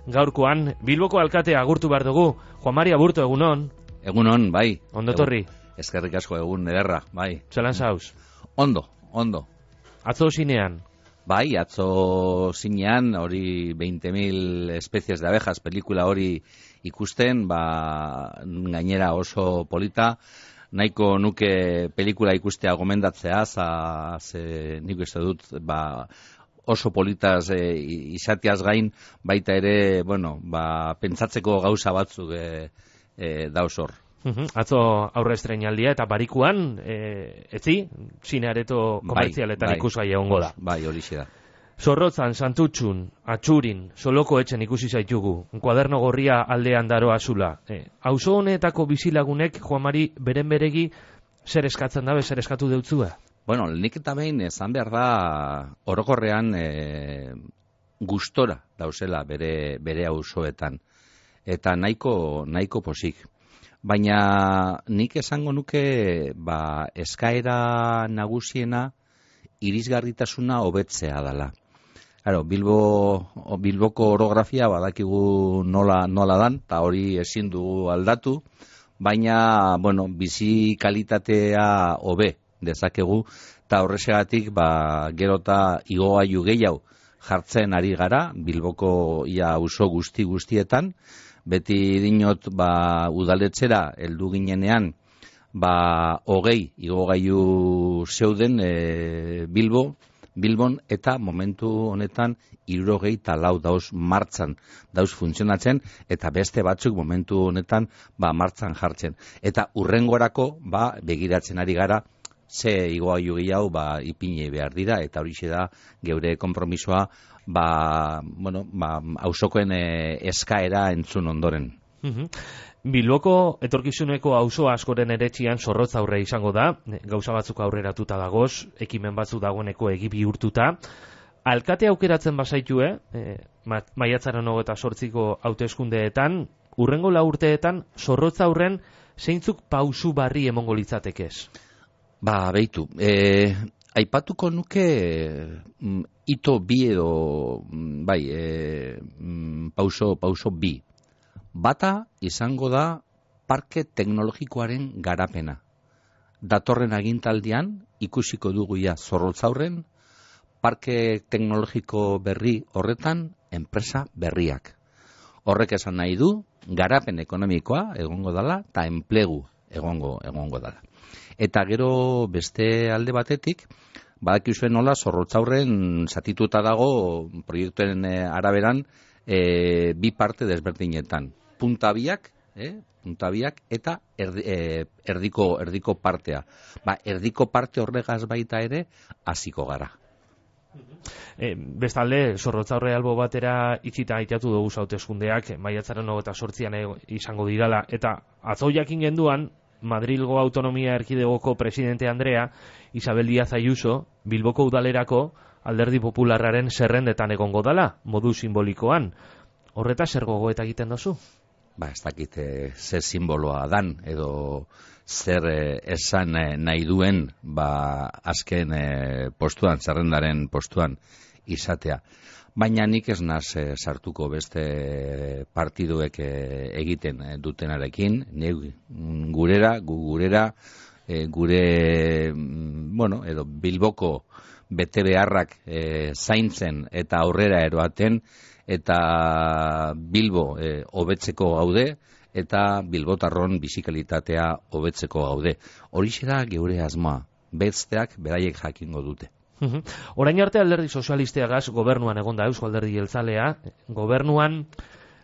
gaurkoan Bilboko alkatea agurtu behar dugu. Juan Mari Aburto, egunon. Egunon, bai. Ondotorri. Eskerrik asko, egun ederra, bai. Zelan zauz? Ondo. Atzo zinean. Bai, atzo zinean, hori 20.000 especies de abejas, pelikula hori ikusten, gainera oso polita, nahiko nuke pelikula ikustea gomendatzea, ze nik uste dut, oso politaz izateaz gain, baita ere, pentsatzeko gauza batzuk dauz hor. Atzo aurre estreinaldia eta barikuan, etzi, zineareto komertzialetan ikusgai egongo da. Bai, hori da. Zorrotzan, Santutxun, Atxurin, Soloko etxen ikusi zaitugu, Kuaderno Gorria aldean daroa azula. Auzo honetako bizilagunek, Juan Mari, beren beregi, zer eskatzen dabe, zer eskatu deutzua? Bueno, nik eta behin esan behar da, orokorrean gustora dauzela bere auzoetan. Eta nahiko posik. Baina nik esango nuke eskaera nagusiena irisgarritasuna hobetzea dela. Claro, Bilboko orografia badakigu nola dan, eta hori ezin dugu aldatu, baina bizi kalitatea hobe dezakegu, eta horrexegatik gerota igogailu gehiago jartzen ari gara Bilboko ia auzo guztietan. Beti dinot udaletxera heldu ginenean 20 igogailu zeuden Bilbon, eta momentu honetan 64 dauz martxan, dauz funtzionatzen, eta beste batzuk momentu honetan martxan jartzen. Eta hurrengorako begiratzen ari gara ze igogailu gehiago ipini behar dira, eta horixe da geure konpromisoa auzokoen eskaera entzun ondoren. Bilboko etorkizuneko auzo askoren eretxian zorrotz aurre izango da, gauza batzuk aurreratuta dagoz, ekimen batzuk dagoeneko egi bihurtuta. Alkate aukeratzen bazaitue, maiatzaren 28ko hauteskundeetan, hurrengo 4 urteetan, zorrotz aurren zeintzuk pausu barri emongo litzatekez? Beitu, aipatuko nuke ito bi edo pauso bi. Bata izango da parke teknologikoaren garapena. Datorren agintaldian ikusiko dugu Zorrotzaurren parke teknologiko berri horretan enpresa berriak. Horrek esan nahi du garapen ekonomikoa egongo dela eta enplegu egongo dela. Eta gero beste alde batetik, badakizuen nola Zorrotzaurren zatituta dago proiektuen araberan bi parte desberdinetan. Puntabiak eta erdiko partea. Erdiko parte horregaz baita ere hasiko gara. Bestalde, Zorrotzaurre albo batera itxita aitatu dugu hauteskundeak, maiatzaren 28an izango dirala, eta atzo jakin genduan, Madrilgo Autonomia Erkidegoko presidente Andrea, Isabel Díaz Ayuso, Bilboko udalerako Alderdi Popularraren zerrendetan egongo dala, modu simbolikoan. Horreta zer gogoeta egiten dozu? Ez dakit zer simboloa dan, edo zer esan nahi duen azken postuan, zerrendaren postuan izatea. Baina nik ez naz sartuko beste partiduek egiten dutenarekin, gure edo Bilboko bete beharrak zaintzen eta aurrera eroaten, eta Bilbo hobetzeko gaude, eta Bilbotarron bizikalitatea hobetzeko gaude. Horixe da geure asmoa, besteak beraiek jakingo dute. Orain arte Alderdi Sozialisteagaz gobernuan egonda Eusko Alderdi Jeltzalea, gobernuan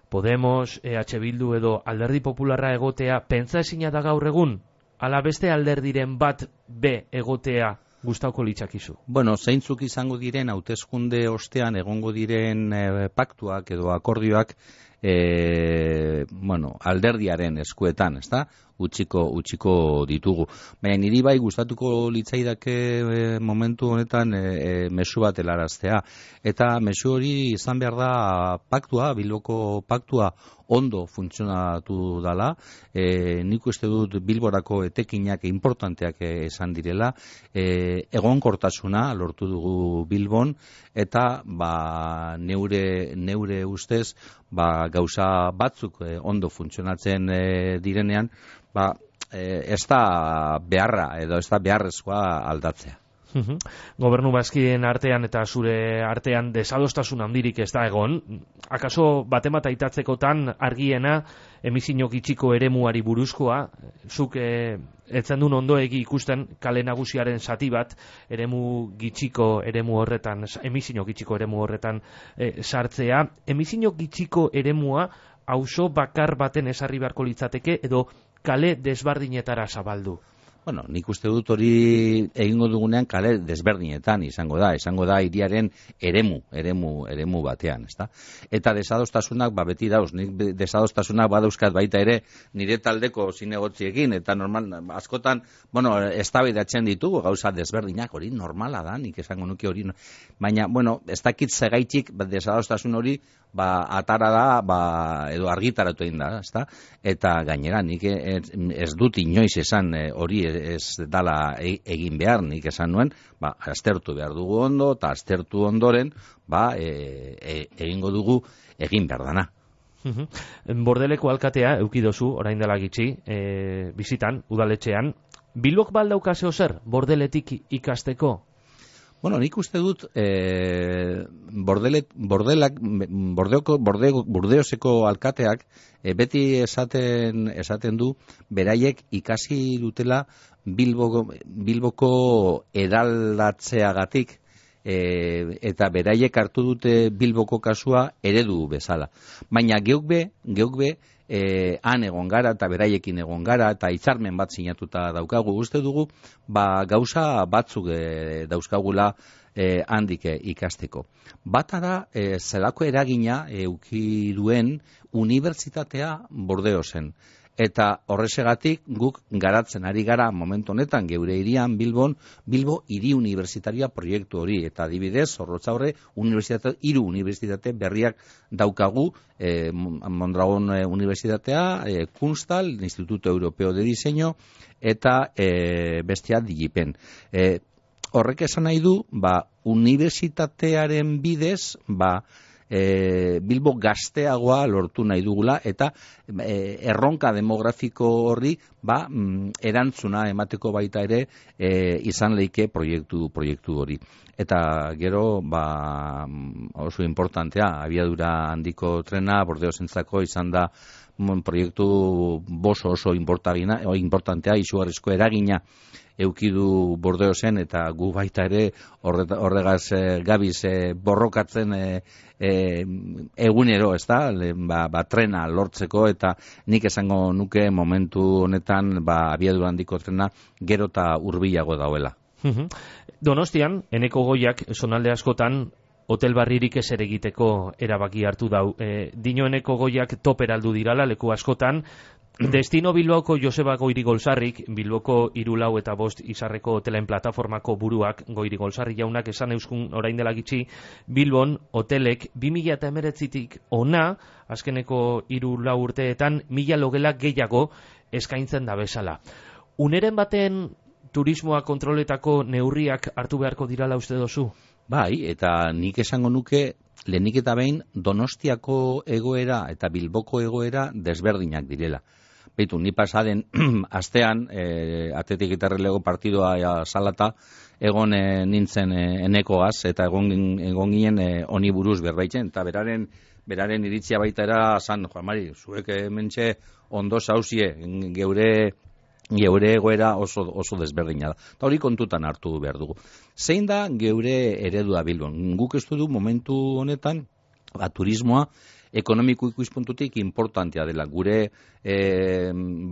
Podemos, EH Bildu edo Alderdi Popularra egotea pentsa ezina da gaur egun, ala beste alderdiren bat be egotea gustauko litzakizu? Zeintzuk izango diren hauteskunde ostean egongo diren paktuak edo akordioak alderdiaren eskuetan, ezta? utziko ditugu. Baina niri bai gustatuko litzaidake momentu honetan mezu bat helaraztea. Eta mezu hori izan behar da paktua, Bilboko paktua ondo funtzionatu dala. Nik uste dut Bilborako etekinak importanteak esan direla. Egonkortasuna lortu dugu Bilbon, eta neure ustez gauza batzuk ondo funtzionatzen direnean, ez da beharra edo ez da beharrezkoa aldatzea. Gobernu bazkideen artean eta zure artean desadostasun handirik ez da egon. Akaso batemat aitatzekotan argiena emisio gitxiko eremuari buruzkoa, zuk etzen duen ondoegi ikusten kale nagusiaren zati bat emisio gitxiko eremu horretan sartzea. Emisio gitxiko eremua auzo bakar baten ezarri beharko litzateke edo kale desberdinetara zabaldu? Bueno, nik uste dut hori egingo dugunean kale desberdinetan izango da hiriaren eremu batean, ezta? Eta desadostasunak beti dauz, nik desadostasunak badauzkat baita ere nire taldeko zinegotziekin, eta normal, askotan, eztabaidatzen ditugu gauza desberdinak, hori normala da, nik esango nuke hori, baina, ez dakit segaitik desadostasun hori atara da, edo argitaratu egin da, ezta? Eta gainera, nik ez dut inoiz esan hori ez dala egin behar, nik esan nuen, aztertu behar dugu ondo, eta aztertu ondoren, egingo dugu egin behar dana. Bordeleko alkatea eukidozu, orain dela gitxi, bizitan, udaletxean. Bilbok baldaukazeo zer, Bordeletik ikasteko? Nik uste dut Bordeoseko alkateak beti esaten du beraiek ikasi dutela Bilboko eraldatzeagatik, eta beraiek hartu dute Bilboko kasua eredu bezala. Baina geuk be han egon gara eta beraiekin egon gara eta hitzarmen bat sinatuta daukagu. Uste dugu gauza batzuk dauzkagula handik ikasteko. Bata da zelako eragina eduki duen unibertsitatea Bordeosen. Eta horrezegatik guk garatzen ari gara momentu honetan geure hirian Bilbo hiri unibertsitaria proiektu hori, eta adibidez Zorrotzaurre hiru unibertsitate berriak daukagu, Mondragon Unibertsitatea, Kunstal, Instituto Europeo de Diseño eta bestea Digipen. Horrek esan nahi du, unibertsitatearen bidez, Bilbo gazteagoa lortu nahi dugula, eta erronka demografiko horri erantzuna emateko baita ere izan leike proiektu hori. Eta gero oso importantea, abiadura handiko trena Bordeosentzako izan da proiektu oso importantea, izugarrizko eragina eukidu Bordeosen, eta gu baita ere horregaz gabiz borrokatzen egunero, ezta, trena lortzeko, eta nik esango nuke momentu honetan abiadura handiko trena gero eta hurbilago dauela. Donostian, Eneko Goiak zonalde askotan hotel barririk ez ere egiteko erabaki hartu dau. Dino Eneko Goiak toperaldu dirala leku askotan. Destino Bilboko Joseba Goirigolzarrik, Bilboko 4 eta 5 izarreko hotelen plataformako buruak, Goirigolzarri jaunak esan euskun orain dela gitxi, Bilbon hotelek 2019tik ona, azkeneko 3-4 urteetan 1000 logela gehiago eskaintzen da bezala. Uneren baten turismoa kontroletako neurriak hartu beharko dirala uste dozu? Bai, eta nik esango nuke lehenik eta behin Donostiako egoera eta Bilboko egoera desberdinak direla. Beitu, ni pasaden astean, Atletik eta Errelego partidoa salata, egon nintzen Enekoaz, eta egon ginen honi buruz berbaitzen, eta beraren iritzia baita era, San Juan Mari, zuek mentxe ondo zauzie, geure egoera oso desberdina da. Eta hori kontutan hartu behar dugu. Zein da geure eredua Bilbon? Guk ez du momentu honetan, turismoa ekonomiko ikuspuntutik importantea dela. Gure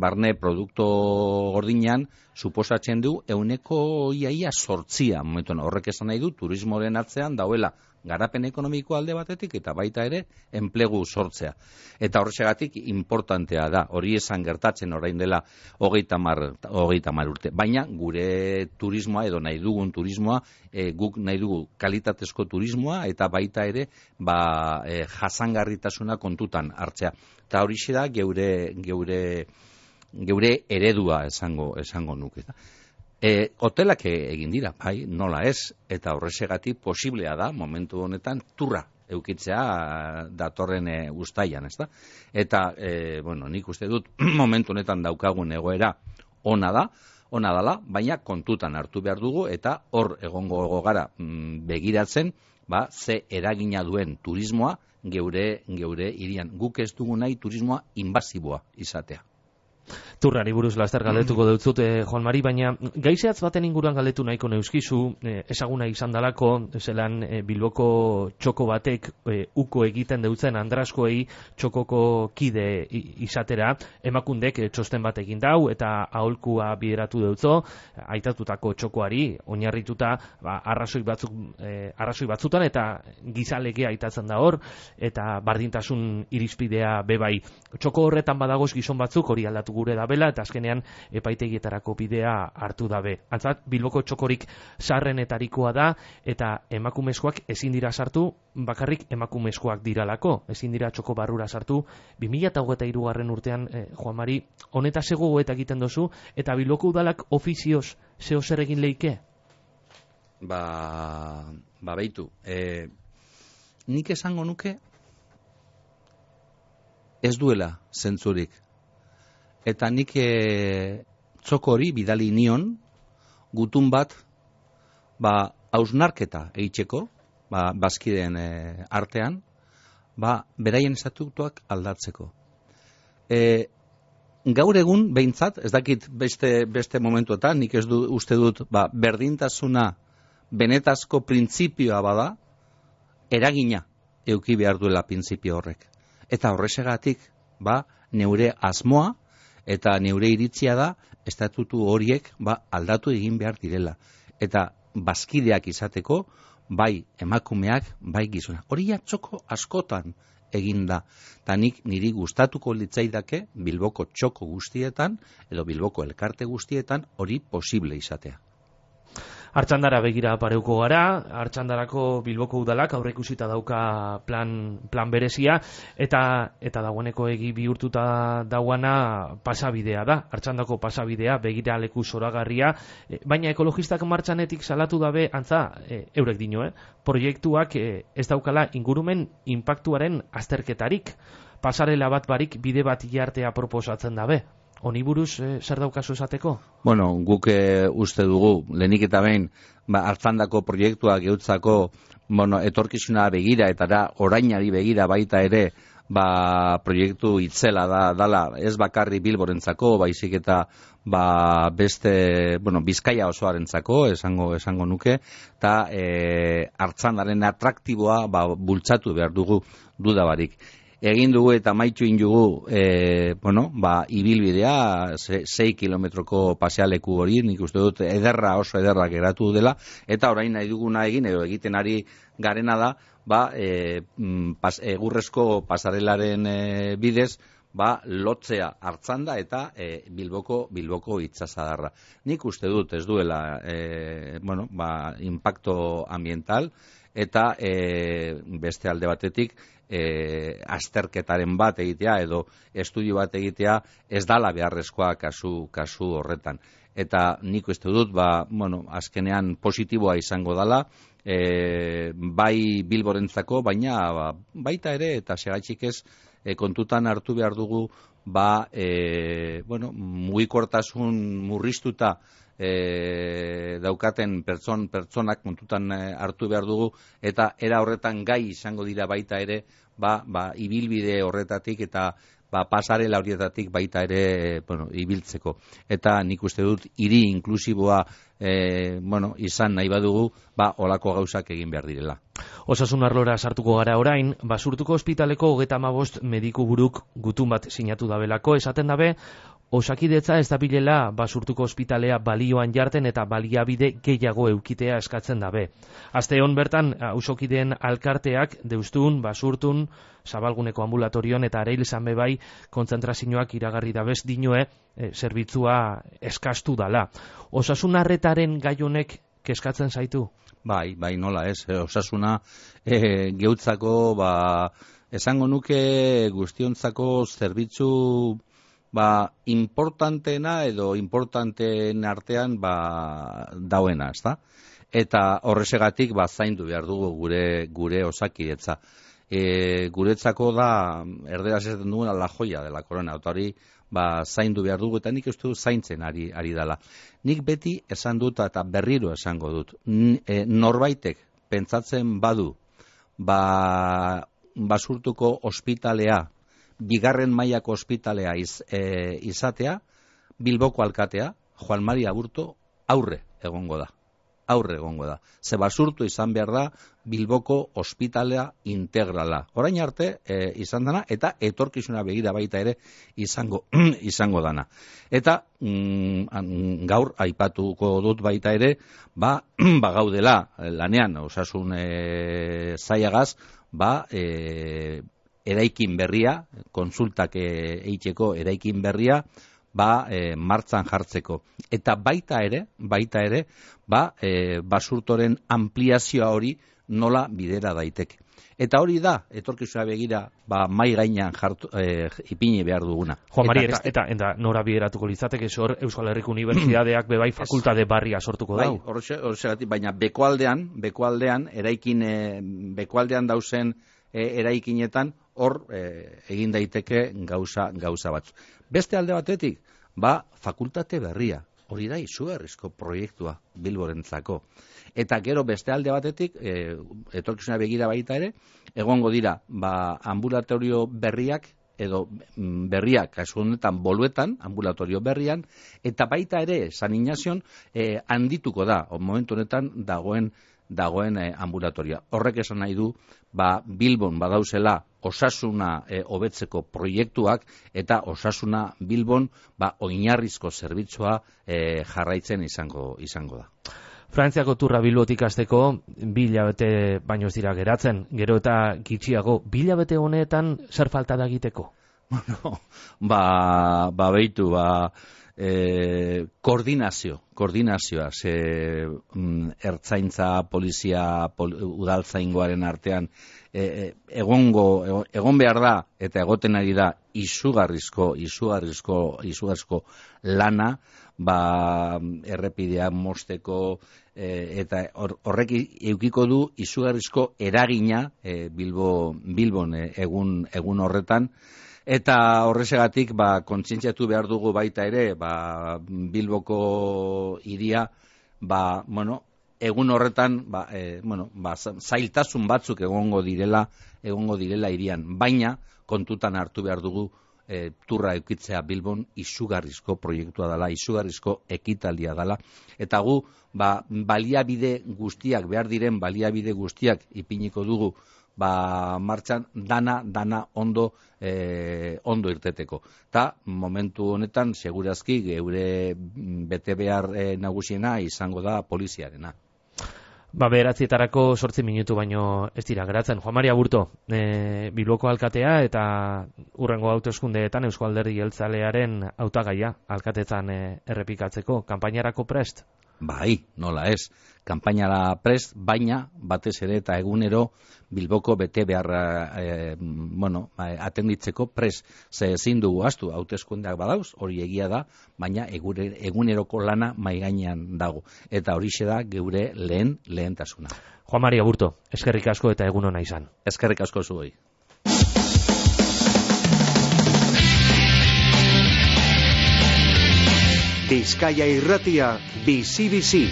barne produkto gordinean suposatzen du 8% momentuan. Horrek esan nahi du turismoren atzean dauela garapen ekonomiko alde batetik eta baita ere enplegu sortzea. Eta horrexegatik importantea da, hori esan gertatzen orain dela 30 urte. Baina gure turismoa edo nahi dugun turismoa, guk nahi dugu kalitatezko turismoa eta baita ere jasangarritasuna kontutan hartzea. Eta horixe da geure eredua esango nuke. Hotelak egin dira, bai, nola ez, eta horrexegatik posiblea da momentu honetan turra eukitzea datorren uztailan, ezta? Eta, nik uste dut momentu honetan daukagun egoera ona dela, baina kontutan hartu behar dugu eta hor egongo gara begiratzen, ze eragina duen turismoa geure hirian. Guk ez dugu nahi turismoa invasiboa izatea. Turrari buruz laster galdetuko deutzut, Juan Mari, baina gaizeatz baten inguruan galdetu nahiko neuskizu, esaguna izan dalako, zelan Bilboko txoko batek uko egiten deutzen Andraskoei txokoko kide izatera, emakundek txosten bat egin dau eta aholkua bideratu deutzo, aitatutako txokoari, oinarrituta arrazoi batzutan eta gizalegea aitatzen da hor, eta bardintasun irizpidea bebai. Txoko horretan badagoz gizon batzuk hori aldatu gure dabela eta azkenean epaitegietarako bidea hartu dabe. Antzat, Bilboko txokorik sarrenetarikoa da eta emakumezkoak ezin dira sartu, bakarrik emakumezkoak diralako, ezin dira txoko barrura sartu. 2023 urtean, Juan Mari, honetaz ego eta egiten dozu, eta Bilboko udalak ofizioz zeo zer egin leike? Beitu, nik esango nuke ez duela zentzurik. Eta nik txoko hori bidali nion gutun bat hausnarketa eitzeko, bazkideen artean, beraien estatutuak aldatzeko. Gaur egun behintzat, ez dakit beste momentuetan, nik ez uste dut berdintasuna benetazko printzipioa bada, eragina eduki behar duela printzipio horrek. Eta horrexegatik, neure asmoa eta neure iritzia da estatutu horiek aldatu egin behar direla. Eta bazkideak izateko, bai emakumeak, bai gizona. Hori txoko askotan egin da. Eta niri gustatuko litzaidake Bilboko txoko guztietan, edo Bilboko elkarte guztietan, hori posible izatea. Artxandara begira pareuko gara, Artxandarako Bilboko udalak aurreikusita dauka plan berezia, eta dagoeneko egi bihurtuta dauana pasabidea da, Artxandako pasabidea, begira leku zoragarria, baina ekologistak martxanetik salatu dabe, antza, eurek dino, proiektuak ez daukala ingurumen inpaktuaren azterketarik, pasarela bat barik bide bat jartea proposatzen dabe. Honi buruz zer daukazu esateko? Guk uste dugu, lehenik eta behin, Artxandako proiektuak geutzako etorkizuna begira eta orainari begira baita ere proiektu itzela dala, ez bakarri Bilborentzako, baizik eta beste, Bizkaia osoarentzako, esango nuke, eta Artxandaren atraktiboa bultzatu behar dugu dudabarik. Egin dugu eta maitxu indugu ibilbidea 6 kilometroko pasealeku hori, nik uste dut oso ederra geratu dela, eta orain nahi duguna egin, edo egiten ari garena da, egurrezko pasarelaren bidez, lotzea Artxanda eta Bilboko itsasadarra. Nik uste dut ez duela impacto ambiental, eta beste alde batetik azterketaren bat egitea edo estudio bat egitea ez dala beharrezkoa kasu horretan. Eta nik uste dut, azkenean positiboa izango dala, bai Bilborentzako, baina baita ere, eta segatxik ez, kontutan hartu behar dugu, mugikortasun murriztuta daukaten pertsonak kontutan hartu behar dugu, eta era horretan gai izango dira baita ere, ibilbide horretatik eta pasarela horietatik baita ere ibiltzeko. Eta nik uste dut hiri inklusiboa izan nahi badugu, olako gauzak egin behar direla. Osasun arlora sartuko gara orain, Basurtuko ospitaleko 35 mediku buruk gutun bat sinatu dabelako, esaten dabe, Osakidetza ez dabilela Basurtuko ospitalea balioan jarten eta baliabide gehiago eukitea eskatzen dabe. Aste hon bertan, auzokideen alkarteak Deustun, Basurtun, Zabalguneko ambulatorion eta Areil zanbe bai kontzentrazioak iragarri dabez dinoe zerbitzua eskastu dala. Osasun arretaren gai honek keskatzen zaitu? Bai, nola ez. Osasuna geutzako, esango nuke guztiontzako zerbitzu importanteena edo importanteen artean dauena, ezta? Eta horresegatik zaindu behar dugu gure osakidetza. Guretzako da, erderaz ez den duguna la joia de la corona, eta hori zaindu behar dugu, eta nik uste du zaintzen ari dela. Nik beti esan dut eta berriro esango dut. Norbaitek pentsatzen badu, Basurtuko ospitalea, bigarren mailako ospitalea izatea, Bilboko alkatea, Juan Mari Aburto, aurre egongo da. Ze Basurtu izan behar da Bilboko ospitalea integrala. Orain arte izan dana eta etorkizuna begira baita ere izango dana. Eta gaur aipatuko dut baita ere, gaudela lanean osasun zailagaz, eraikin berria, konsultak eiteko eraikin berria, martzan jartzeko. Eta baita ere, Basurtoren ampliazioa hori nola bidera daiteke. Eta hori da, etorkizuna begira, mai gainean ipini behar duguna. Juan Mari, eta nora bideratuko litzateke, zor Euskal Herriko Unibertsitateak bebai fakultate barria sortuko dau. Horregatik, baina bekualdean, bekualdean dauzen eraikinetan, hor egin daiteke gauza batzu. Beste alde batetik, fakultate berria, hori da izugarrizko proiektua Bilborentzako. Eta gero beste alde batetik, etorkizuna begira baita ere, egongo dira, ambulatorio berriak, edo berriak, kasu honetan boluetan, ambulatorio berrian, eta baita ere, San Ignazion, handituko da, momentu honetan dagoen ambulatorioa. Horrek esan nahi du, Bilbon badauzela osasuna hobetzeko proiektuak eta osasuna Bilbon oinarrizko zerbitzua jarraitzen izango da. Frantziako turra Bilbotik hasteko 2 hilabete baino ez dira geratzen, gero eta gitxiago 2 hilabete honetan zer falta da egiteko? Beitu, koordinazioa, ertzaintza, polizia, udaltzaingoaren artean egon behar da eta egoten ari da izugarrizko lana, errepidea mosteko eta horrek eukiko du izugarrizko eragina Bilbon egun horretan. Eta horrezegatik kontzientziatu behar dugu baita ere, Bilboko hiria, egun horretan, zailtasun batzuk egongo direla hirian, baina kontutan hartu behar dugu turra eukitzea Bilbon izugarrizko proiektua dela, izugarrizko ekitaldia dela, eta gu baliabide guztiak, behar diren baliabide guztiak ipiniko dugu martxan dana ondo irteteko. Ta momentu honetan segurazki geure bete behar nagusiena izango da poliziarena. 9:00 8 minutu baino ez dira geratzen. Juan Mari Aburto, Bilboko alkatea eta hurrengo hauteskundeetan Eusko Alderdi Jeltzalearen hautagaia alkatetzan errepikatzeko kanpainarako prest? Bai, nola ez. Kanpainara prest, baina batez ere eta egunero Bilboko bete beharra atenditzeko prest. Ze ezin dugu astu, hauteskundeak badauz, hori egia da, baina eguneroko lana mai gainean dago. Eta horixe da geure lehentasuna. Juan Mari Aburto, eskerrik asko eta egun ona izan. Eskerrik asko zuei. Bizkaia Irratia, bizi-bizi.